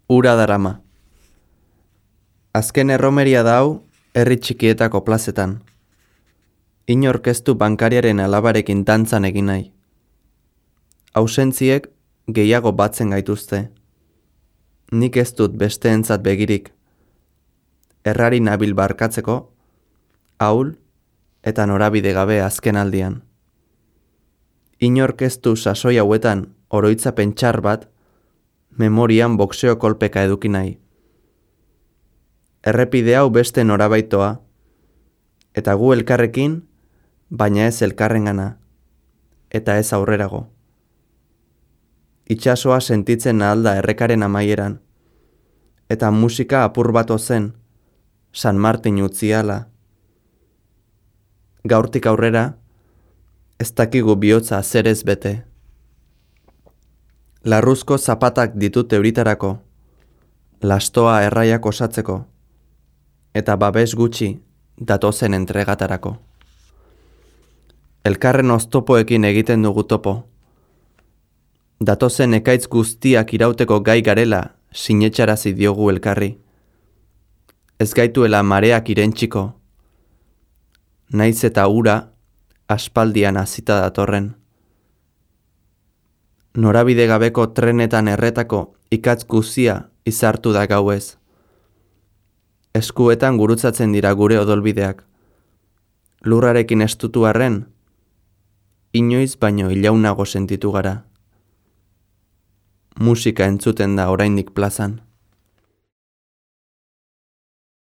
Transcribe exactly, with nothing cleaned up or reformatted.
Ura darama. Azken erromeria da hau herri txikietako plazetan. Inork ez du bankariaren alabarekin dantzan egin nahi. Ausentziek gehiago batzen gaituzte. Nik ez dut besteentzat begirik. Errari nabil barkatzeko, ahul eta norabide gabe azken aldian. Inork ez du sasoi hauetan oroitzapen txar bat, memorian boxeo kolpeka eduki nahi. Errepide hau beste norabaitoa, eta gu elkarrekin, baina ez elkarrengana, eta ez aurrerago. Itsasoa sentitzen ahalda errekaren amaieran, eta musika apur bat ozen, San Martin utziala. Gaurtik aurrera, ez dakigu bihotza zerez bete. Larruzko zapatak ditut euritarako, lastoa erraiak osatzeko, eta babes gutxi datozen entregatarako. Elkarren oztopoekin egiten dugu topo. Datozen ekaitz guztiak irauteko gai garela sinetxarazi diogu elkarri. Ez gaituela mareak irentsiko, naiz eta ura aspaldian hazita datorren. Norabide gabeko trenetan erretako ikatz guzia izartu da gauez. Eskuetan gurutzatzen dira gure odolbideak. Lurrarekin estutu arren, inoiz baino ilaunago sentitu gara. Musika entzuten da oraindik plazan.